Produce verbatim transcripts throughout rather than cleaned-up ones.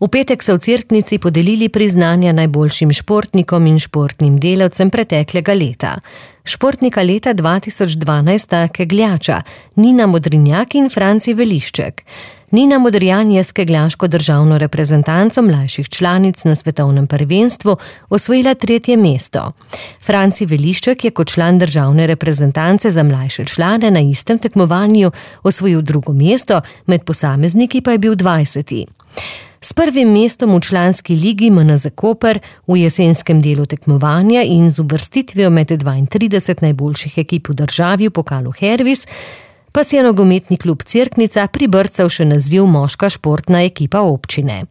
V petek so v Cerknici podelili priznanja najboljšim športnikom in športnim delavcem preteklega leta. Športnika leta dva tisoč dvanajst sta kegljača Nina Modrinjak in Franci Velišček. Nina Modrijan je s kegljaško državno reprezentanco mlajših članic na svetovnem prvenstvu osvojila tretje mesto. Franci Velišček je kot član državne reprezentance za mlajše člane na istem tekmovanju osvojil drugo mesto, med posamezniki pa je bil dvajseti. S prvim mestom v članski ligi M N Z Koper v jesenskem delu tekmovanja in z uvrstitvijo med dvaintrideset najboljših ekip v državi v pokalu Hervis pa si je nogometni klub Cerknica pribrcal še naziv moška športna ekipa občine.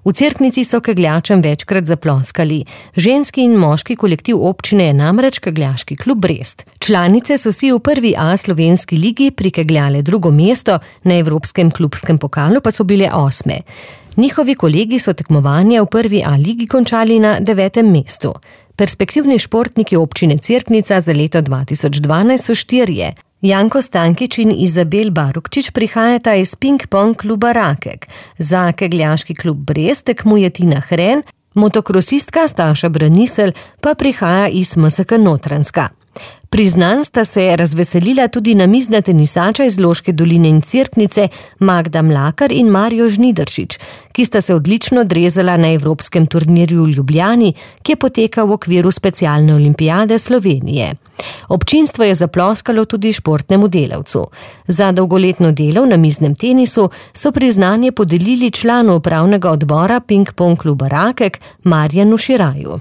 V Cerknici so kegljačem večkrat zaploskali. Ženski in moški kolektiv občine je namreč kegljaški klub Brest. Članice so si v prvi A slovenski ligi prikegljale drugo mesto, na evropskem klubskem pokalu pa so bile osme. Njihovi kolegi so tekmovanje v prvi A ligi končali na devetem mestu. Perspektivni športniki občine Cerknica za leto dva tisoč dvanajst so štirje. Janko Stankič in Izabel Barukčič prihajata iz ping-pong kluba Rakek. Za kegljaški klub Brest tekmuje Tina Hren, motokrosistka Staša Branisel pa prihaja iz M S K Notranjska. Priznanj sta se razveselila tudi namizna tenisača iz Loške doline in Cerknice Magda Mlakar in Mario Žnidaršič, ki sta se odlično odrezala na evropskem turnirju v Ljubljani, ki je potekal v okviru specialne olimpijade Slovenije. Občinstvo je zaploskalo tudi športnemu delavcu. Za dolgoletno delo v namiznem tenisu so priznanje podelili članu upravnega odbora ping-pong kluba Rakek Marjanu Širaju.